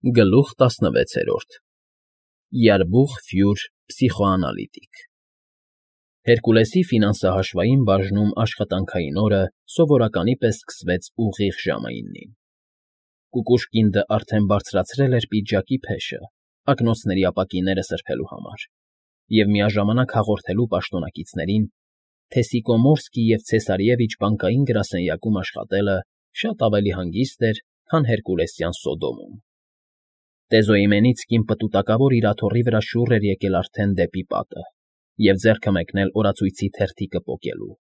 Գլուխ 16 Յարբուխ Ֆյուր փսիխոանալիտիկ Հերկուլեսի ֆինանսահաշվային բաժնում աշխատանքային օրը սովորականի պես սկսվեց ուղիղ ժամը 9-ին։ Կուկուշկինդը արդեն բարձրացրել էր պիջակի փեշը, ակնոցների ապակիները սրբելու համար, և միաժամանակ հաղորդելու պաշտոնակիցներին, թե Սիկոմորսկի և Ցեսարևիչ բանկային գրասենյակում աշխատելը շատ ավելի հանգիստ էր, քան հերկուլեսյան Սոդոմում։ Տեզոիմենիցկին պտուտակավոր իր աթոռի վրա շուռ էր եկել արդեն դեպի պատը և ձեռքը մեկնել օրացույցի թերթիկը պոկելու։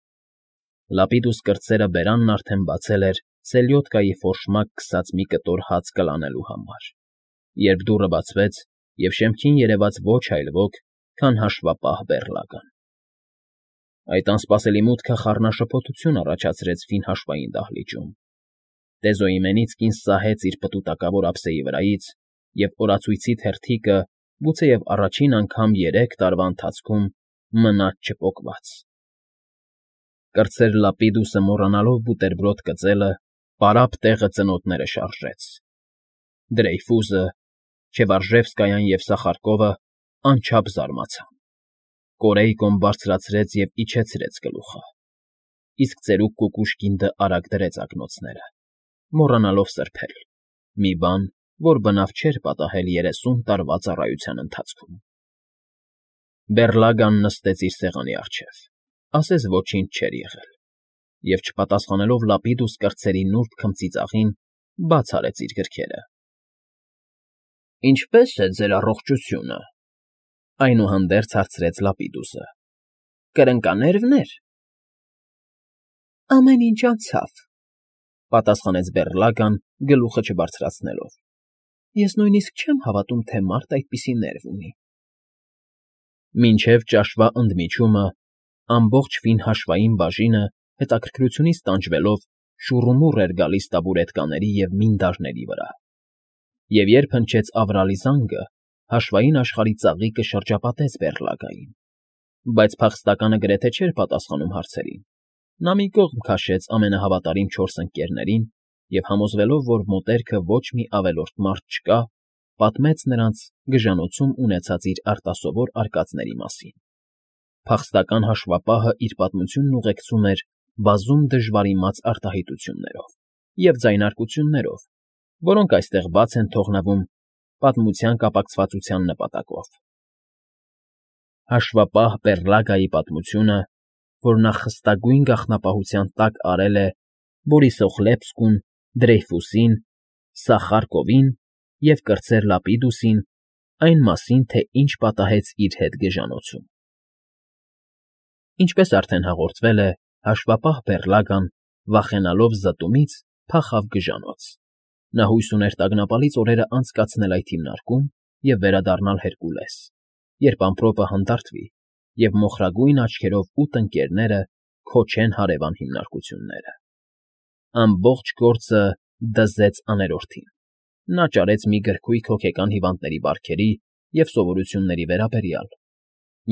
Լապիդուս կրտսերը բերանն արդեն բացել էր սելյոդկայի ֆորշմակ քսած մի կտոր հաց կլանելու համար, երբ դուռը բացվեց և շեմքին երևաց ոչ այլ ոք, քան հաշվապահ Բեռլական։ Այդ անսպասելի մուտքը խառնաշփոթություն առաջացրեց ֆինհաշվային դահլիճում։ Տեզոիմենիցկին սահեց իր պտուտակավոր ափսեի վրայից, և օրացույցի թերթիկը, գուցեև առաջին անգամ 3 տարվա ընթացքում, մնաց չպոկված։ Կրտսեր Լապիդուսը մոռանալով բուտերբրոդ կծելը, պարապ տեղը ծնոտները շարժեց։ Դրեյֆուսը, Չևարժևսկայան և Սախարկովը անչափ զարմացան։ Կորեյկոն բարձրացրեց և իջեցրեց գլուխը, իսկ ծերուկ Կուկուշկինդը արագ դրեց ակնոցները, մոռանալով սրբել, մի բան, որ բնավ չէր պատահել 30 տարվա ծառայության ընթացքում։ Բեռլագան նստեց իր սեղանի առջև, ասես ոչինչ չէր եղել, և չպատասխանելով Լապիդուս կրտսերի նուրբ քմծիծաղին, բաց արեց իր գրքերը։ ֊ Ինչպե՞ս է ձեր առողջությունը,֊ այնուհանդերձ հարցրեց Լապիդուսը։ ֊ Կրնկանե՞րվն էր։ ֊ Ամեն ինչ անցավ,֊ պատասխանեց Բեռլագան, գլուխը չբարձրացնելով։ Ես նույնիսկ չեմ հավատում, թե մարդ այդպիսի ներվ ունի։ Մինչև ճաշվա ընդմիջումը ամբողջ ֆինհաշվային բաժինը, հետաքրքրությունից տանջվելով, շուռումուռ էր գալիս տաբուրետկաների և մինդարների վրա, և երբ հնչեց ավրալի զանգը, հաշվային աշխարհի ծաղիկը շրջապատեց Բեռլագային, բայց փախստականը գրեթե չէր պատասխանում հարցերին։ Նա մի կողմ քաշեց ամենահավատարիմ 4 ընկներներին և, համոզվելով, որ մոտերքը ոչ մի ավելորդ մարդ չկա, պատմեց նրանց գժանոցում ունեցած իր արտասովոր արկածների մասին։ Փախստական հաշվապահը իր պատմությունն ուղեկցում էր բազում դժվարիմաց արտահայտություններով և ձայնարկություններով, որոնք այստեղ բաց են թողնվում պատմության կապակցվածության նպատակով։ Հաշվապահ Բեռլագայի պատմությունը, որ նա խստագույն գաղտնապահության տակ արել է Բորիսոխլեպսկուն, Դրեյֆուսին, Սախարկովին և կրտսեր Լապիդուսին, այն մասին, թե ինչ պատահեց իր հետ գժանոցում։ Ինչպես արդեն հաղորդվել է, հաշվապահ Բեռլագան, վախենալով զտումից, փախավ գժանոց։ Նա հույս ուներ տագնապալից օրերը անցկացնել այդ հիմնարկում և վերադառնալ Հերկուլես, երբ ամպրոպը հանդարտվի, և մոխրագույն աչքերով 8 ընկներները քոչեն հարևան հիմնարկությունները։ Ամբողջ գործը դզեց աներորդին։ Նա ճարեց մի գրքույկ հոգեկան հիվանդների բարքերի և սովորությունների վերաբերյալ,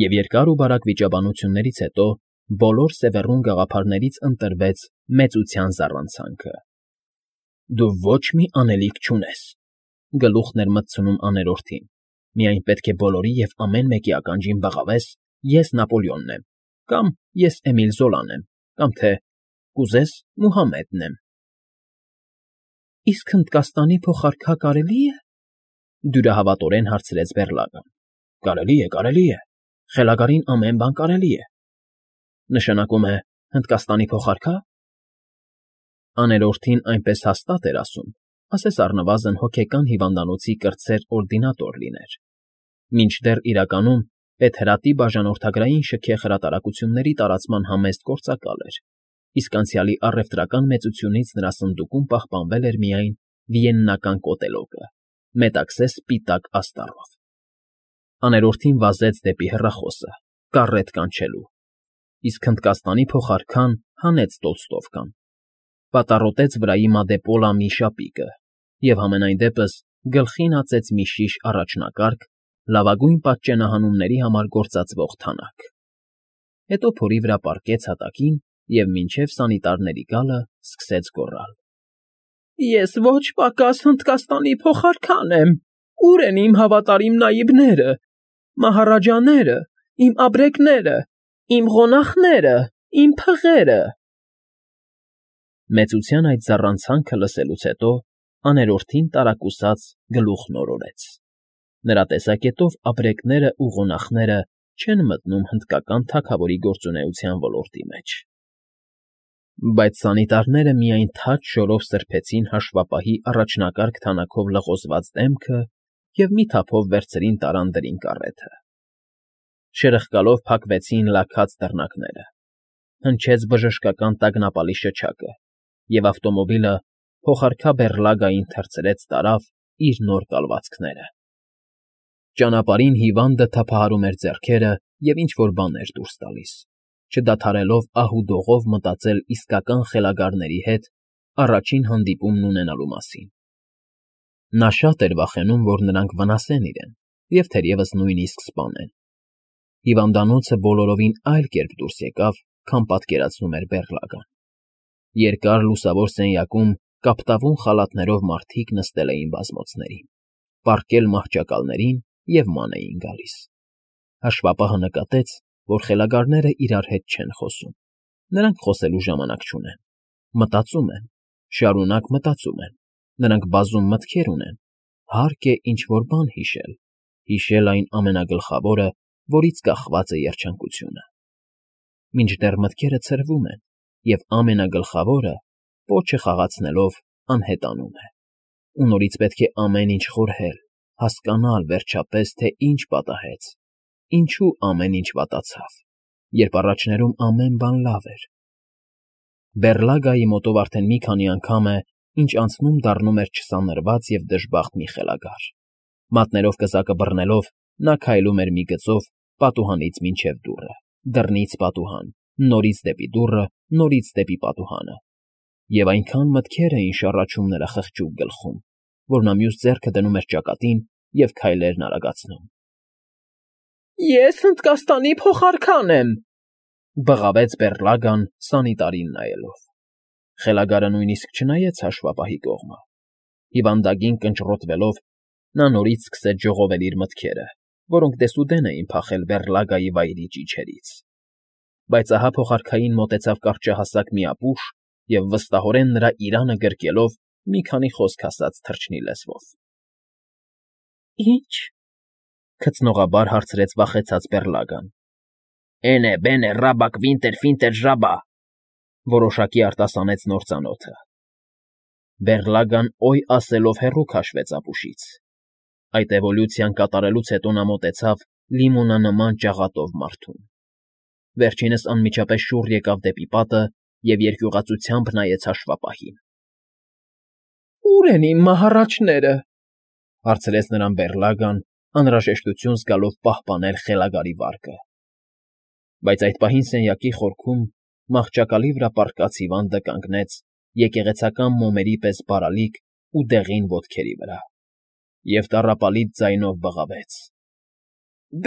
և երկար ու բարակ վիճաբանություններից հետո բոլոր Սևեռուն գաղափարներից ընտրվեց մեծության զառանցանքը։ «Դու ոչ մի անելիք չունես,֊ գլուխն էր մտցնում աներորդին,֊ միայն պետք է բոլորի և ամեն մեկի ականջին բղավես. ես Նապոլեոնն եմ, կամ ես Էմիլ Զոլան եմ, կամ թե կուզես Մուհամեդն եմ»։ ֊ Իսկ Հնդկաստանի փոխարքա կարելի է,֊ դյուրահավատորեն հարցրեց Բեռլագան։ ֊ Կարելի է, խելագարին ամեն բան կարելի է։ ֊ Նշանակում է Հնդկաստանի փոխարքա՞։ Աներորդին այնպես հաստատ էր ասում, ասես առնվազն հոգեկան հիվանդանոցի կրտսեր օրդինատոր լիներ, մինչդեռ իրականում Պետհրատի բաժանորդագրային շքեղ հրատարակությունների տարածման համեստ գործակալ էր, իսկ անցյալի առևտրական մեծությունից նրա սնդուկում պահպանվել էր միայն վիեննական կոտելոկը՝ մետաքսե սպիտակ աստառով։ Աներորդին վազեց դեպի հեռախոսը՝ կառետ կանչելու, իսկ Հնդկաստանի փոխարքան հանեց Տոլստովկան, պատառոտեց վրայի մադեպոլա մի շապիկը և համենայն դեպս գլխին ածեց մի շիշ առաջնակարգ, լավագույն պատճենահանումների համար գործածվող թանաք։ Հետո փորի վրա պառկեց հատակին և մինչև սանիտարների գալը սկսեց գոռալ. Ես ոչ պակաս Հնդկաստանի փոխարքան եմ, ուր են իմ հավատարիմ նայիբները, մահարաջաները, իմ աբրեկները, իմ ղոնախները, իմ փղերը… Մեծության այդ զառանցանքը լսելուց հետո աներորդին տարակուսած գլուխն օրորեց. նրա տեսակետով աբրեկներն ու ղոնախները չեն մտնում հնդկական թագավորի գործունեության ոլորտի մեջ… Բայց սանիտարները միայն թաց շորով սրբեցին հաշվապահի առաջնակարգ թանաքով լղոզված դեմքը և մի թափով վերցրին տարան դրին կառեթը… Շրխկալով փակվեցին լաքած դռնակները, հնչեց բժշկական տագնապալի շչակը, և ավտոմոբիլը փոխարքաբեռլագային թռցրեց տարավ իր նոր կալվածքները… Ճանապարհին հիվանդը թափահարում էր ձեռքերը և ինչ֊որ բան էր դուրս տալիս, չդադարելով ահ֊ու֊դողով մտածել իսկական խելագարների հետ առաջին հանդիպումն ունենալու մասին… Նա շատ էր վախենում, որ նրանք վնասեն իրեն և թերևս նույնիսկ սպանեն… Հիվանդանոցը բոլորովին այլ կերպ դուրս եկավ, քան պատկերացնում էր Բեռլագան… Երկար լուսավոր սենյակում կապտավուն խալաթներով մարդիկ նստել էին բազմոցներին, պառկել մահճակալներին և ման էին գալիս… Հաշվապահը նկատեց, որ խելագարներն իրար հետ չեն խոսում, նրանք խոսելու ժամանակ չունեն, մտածում են, շարունակ մտածում են, նրանք բազում մտքեր ունեն, հարկ է ինչ֊որ բան հիշել, հիշել այն ամենագլխավորը, որից կախված է երջանկությունը… Մինչդեռ մտքերը ցրվում են, և ամենագլխավորը, պոչը խաղացնելով, անհետանում է… Ու նորից պետք է ամեն ինչ խորհել, հասկանալ, վերջապես, թե ինչ պատահեց, ինչու ամեն ինչ վատացավ, երբ առաջներում ամեն բան լավ էր… Բեռլագայի մոտով արդեն մի քանի անգամ է, ինչ անցնում դառնում էր չսանրված և դժբախտ մի խելագար… Մատներով կզակը բռնելով, նա քայլում էր մի գծով պատուհանից մինչև դուռը, դռնից պատուհան, նորից դեպի դուռը, նորից դեպի պատուհանը… Եվ այնքան մտքեր էին շառաչում նրա խղճուկ գլխում, որ նա մյուս ձեռքը դնում էր ճակատին և քայլերն արագացնում… Ես Հնդկաստանի փոխարքան եմ,֊ բղավեց Բեռլագան սանիտարին նայելով… Խելագարը նույնիսկ չնայեց հաշվապահի կողմը… Հիվանդագին կնճռոտվելով՝ նա նորից սկսեց ժողովել իր մտքերը, որոնք դեսուդեն էին փախել Բեռլագայի վայրի ճիչերից… Բայց ահա փոխարքային մոտեցավ կարճահասակ մի ապուշ և վստահորեն նրա իրանը գրկելով մի քանի խոսք ասաց թռչնի լեզվով… Ի՞նչ,֊ քծնողաբար հարցրեց վախեցած Բեռլագան։ Էնե բենե ռաբակ վինտեր ֆինտեր ժաբա,֊ որոշակի արտասանեց նոր ծանոթը… Բեռլագան «օյ» ասելով հեռու քաշվեց ապուշից… Այդ էվոլյուցիան կատարելուց հետո նա մոտեցավ լիմոնանման ճաղատով մարդուն… Վերջինս անմիջապես շուռ եկավ դեպի պատը և երկյուղածությամբ նայեց հաշվապահին… Ո՞ւր են իմ մահառաչները,֊ հարցրեց նրան Բեռլագան, անհրաժեշտություն զգալով պահպանել խելագարի վարկը… Բայց այդ պահին սենյակի խորքում մահճակալի վրա պառկած հիվանդը կանգնեց եկեղեցական մոմերի պես բարալիկ ու դեղին ոտքերի վրա և տառապալից ձայնով բղավեց.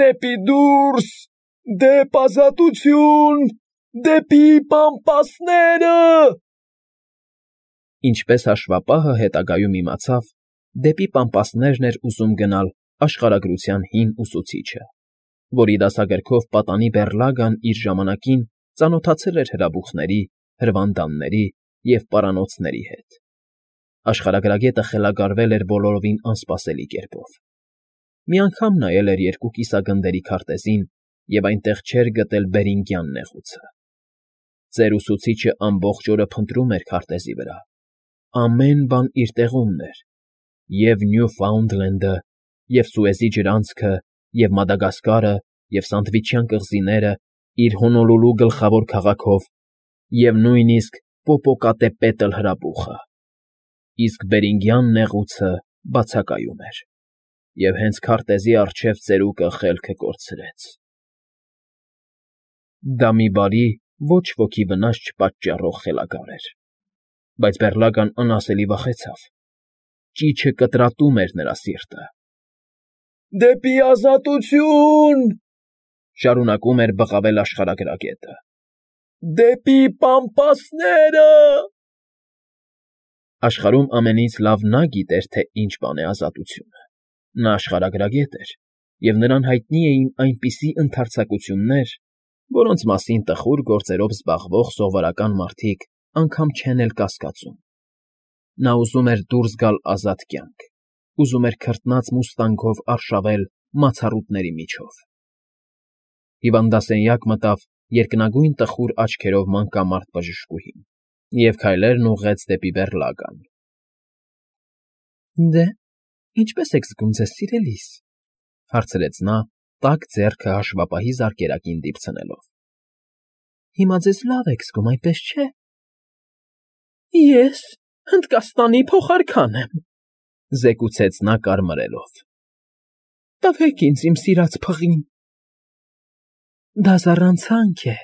Դեպի դուրս, դեպ ազատություն, դեպի պամպասները… Ինչպես հաշվապահը հետագայում իմացավ, դեպի պամպասներն էր ուզում գնալ աշխարհագրության հին ուսուցիչը, որի դասագրքով պատանի Բեռլագան իր ժամանակին ծանոթացել էր հրաբուխների, հրվանդանների և պարանոցների հետ… Աշխարհագրագետը խելագարվել էր բոլորովին անսպասելի կերպով… Մի անգամ նայել էր երկու կիսագնդերի քարտեզին և այնտեղ չէր գտել Բերինգյան նեղուցը… Ծեր ուսուցիչը ամբողջ օրը փնտրում էր քարտեզի վրա, ամեն բան իր տեղումն էր, և Նյուֆաունդլենդը, և Սուեզի ջրանցքը, և Մադագասկարը, և Սանդվիչյան կղզիները իր Հոնոլուլու գլխավոր քաղաքով, և նույնիսկ Պոպոկատեպետլ հրաբուխը… Իսկ Բերինգյան նեղուցը բացակայում էր… Եվ հենց քարտեզի առջև ծերուկը խելքը կորցրեց… Դա մի բարի, ոչ ոքի վնաս չպատճառող խելագար էր… Բայց Բեռլագան անասելի վախեցավ… Ճիչը կտրատում էր նրա սիրտը… Դեպի ազատություն,֊ շարունակում էր բղավել աշխարհագրագետը,֊ դեպի պամպասները… Աշխարհում ամենից լավ նա գիտեր, թե ինչ բան է ազատությունը։ Նա աշխարհագրագետ էր, և նրան հայտնի էին այնպիսի ընդարձակություններ, որոնց մասին տխուր գործերով զբաղվող սովորական մարդիկ անգամ չեն էլ կասկածում։ Նա ուզում էր դուրս գալ ազատ կյանք, ուզում էր քրտնած մուստանգով արշավել մացառուտների միջով։ Հիվանդասենյակ մտավ երկնագույն տխուր աչքերով մանկամարտ բժշկուհին և քայլերն ուղղեց դեպի բեռլագան։ ֊ Դե, ինչպե՞ս եք զգում ձեզ, սիրելիս,֊ հարցրեց նա, տաք ձեռքը հաշվապահի զարկերակին դիպցնելով։ ֊ Հիմա ձեզ լավ եք զգում, այնպես չէ՞։ ֊ Ես Հնդկաստանի փոխարքան եմ,֊ զեկուցեց նա կարմրելով։ ֊ Տվեք ինձ իմ սիրած փղին։ ֊ Դա զառանցանք է,֊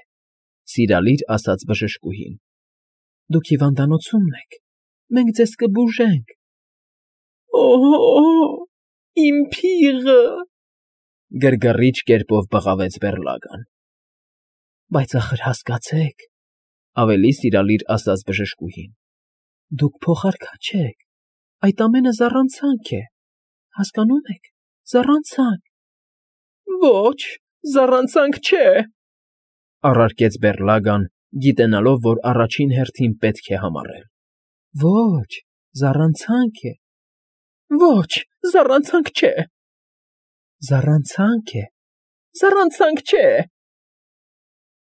սիրալիր ասաց բժշկուհին։ ֊ Դուք հիվանդանոցումն եք, մենք ձեզ կբուժենք։ ֊ Օ՜, իմ փիղը,֊ գրգռիչ կերպով բղավեց բեռլագան։ ֊ Բայց ախր հասկացեք,֊ ավելի սիրալիր ասաց բժշկուհին,֊ դուք փոխարքա չեք, այդ ամենը զառանցանք է, հասկանո՞ւմ եք, զառանցանք։ ֊ Ոչ, զառանցանք չէ,֊ առարկեց բեռլագան, գիտենալով, որ առաջին հերթին պետք է համառել։ ֊ Ոչ, զառանցանք է։ ֊ Ոչ, զառանցանք չէ։ ֊ Զառանցանք է։ ֊ Զառանցանք չէ։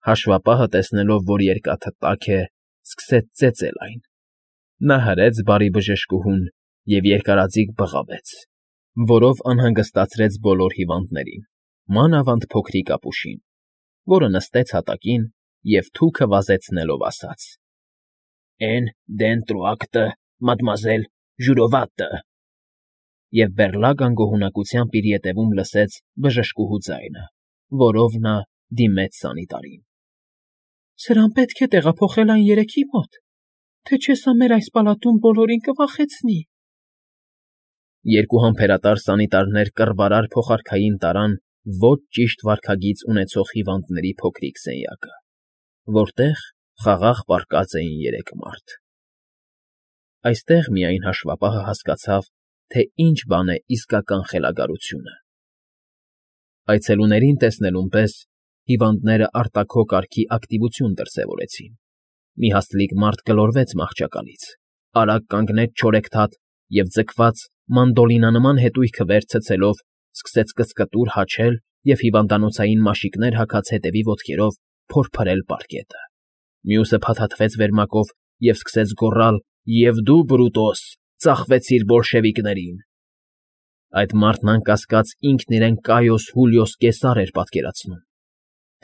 Հաշվապահը, տեսնելով, որ երկաթը տաք է, սկսեց ծեծել այն։ Նա հրեց բարի բժշկուհուն և երկարաձիգ բղավեց, որով անհանգստացրեց բոլոր հիվանդներին, մանավանդ փոքրիկ ապուշին, որը նստեց հատակին և թուքը վազեցնելով ասաց. «Էն դենտրո ակտը, մադմուազել Ժյուրովատը», և բեռլագան գոհունակությամբ իր ետևում լսեց բժշկուհու ձայնը, որով նա դիմեց սանիտարին։ ֊ Սրան պետք է տեղափոխել այն երեքի մոտ, թե չէ սա մեր այս պալատում բոլորին կվախեցնի։ Երկու համբերատար սանիտարներ կռվարար փոխարքային տարան ոչ ճիշտ վարքագիծ ունեցող հիվանդների փոքրիկ սենյակը, որտեղ խաղաղ պառկած էին երեք մարդ։ Այստեղ միայն հաշվապահը հասկացավ, թե ինչ բան է իսկական խելագարությունը։ Այցելուներին տեսնելուն պես հիվանդները արտաքո կարգի ակտիվություն դրսևորեցին։ Մի հաստլիկ մարդ գլորվեց մահճակալից, արագ կանգնեց չորեքթաթ և ձգված մանդոլինանման հետույքը վեր ցցելով սկսեց կծկտուր հաչել և հիվանդանոցային մաշիկներ հագած հետևի ոտքերով փորփրել պարկետը։ Մյուսը փաթաթվեց վերմակով և սկսեց գոռալ. «Եվ դու, Բրուտոս, ծախվեցիր բոլշևիկներին»։ Այդ մարդն անկասկած ինքն իրեն Կայոս Հուլիոս Կեսար էր պատկերացնում,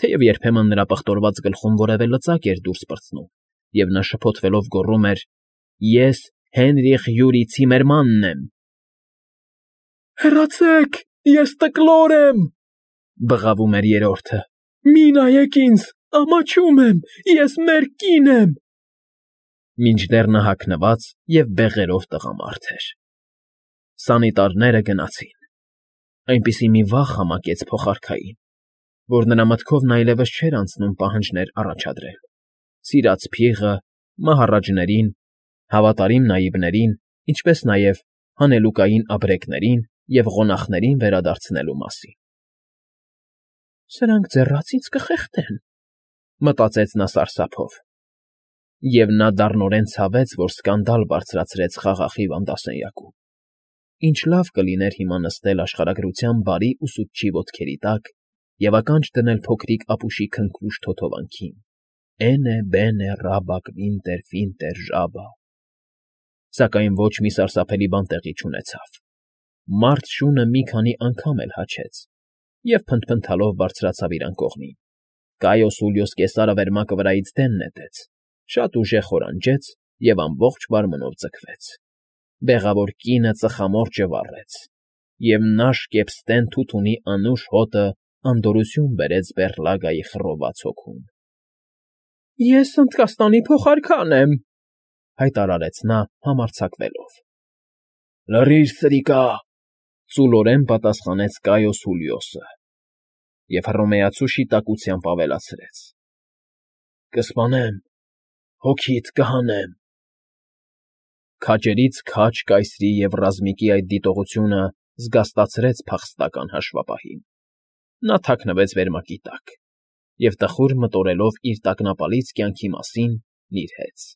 թեև երբեմն նրա պղտորված գլխում որևէ լծակ էր դուրս պրծնում, և նա շփոթվելով գոռում էր. «Ես Հենրիխ Յուրի Ցիմերմանն եմ»։ «Հեռացեք, ես տկլոր եմ,֊ բղավում էր երրորդը,֊ մի նայեք ինձ, ամաչում եմ, ես մեր կին եմ»։ Մինչդեռ նա հագնված և բեղերով տղամարդ էր։ Սանիտարները գնացին։ Այնպիսի մի վախ համակեց փոխարքային, որ նրա մտքով նա այլևս չէր անցնում պահանջներ առաջադրել, սիրած փիղը, մահառաջներին, հավատարիմ նայիբներին, ինչպես նաև հանելուկային ապրեկներին և ղոնախներին վերադարձնելու մասին։ «Սրանք ձեռաց ինձ կխեղդեն,֊ մտածեց նա սարսափով։ Եվ նա դառնորեն ցավեց, որ սկանդալ բարձրացրեց խաղաղ հիվանդասենյակում։ Ինչ լավ կլիներ հիմա նստել աշխարհագրության բարի ուսուցչի ոտքերի տակ և ականջ դնել փոքրիկ ապուշի քնքուշ թոթովանքին. «Էնե բենե ռաբա կվինտեր ֆինտեր ժաբա»։ Սակայն ոչ մի սարսափելի բան տեղի չունեցավ։ Մարդ շունը մի քանի անգամ էլ հաչեց և փնթփնթալով բարձրացավ իր անկողնին։ Կայոս Հուլիոս Կեսարը վերմակը վրայից դեն նետեց, շատ ուժեղ խորանջեց և ամբողջ մարմնով ձգվեց։ Բեղավոր կինը ծխամորճը վառեց, և նաշ կեպստեն թութունի անուշ հոտը անդորրություն բերեց բեռլագայի խռոված հոգուն։ ֊ Ես Հնդկաստանի փոխարքան եմ,֊ հայտարարեց նա համարձակվելով։ ֊ Լռիր, սրիկա,֊ ծուլորեն պատասխանեց Կայոս Հուլիոսը և հռոմեացու շիտակությամբ ավելացրեց. ֊ Կսպանեմ, հոգիդ կհանեմ։ Քաջերից քաջ կայսրի և ռազմիկի այդ դիտողությունը զգաստացրեց փախստական հաշվապահին։ Նա թաքնվեց վերմակի տակ և, տխուր մտորելով իր տագնապալից կյանքի մասին, նիրհեց։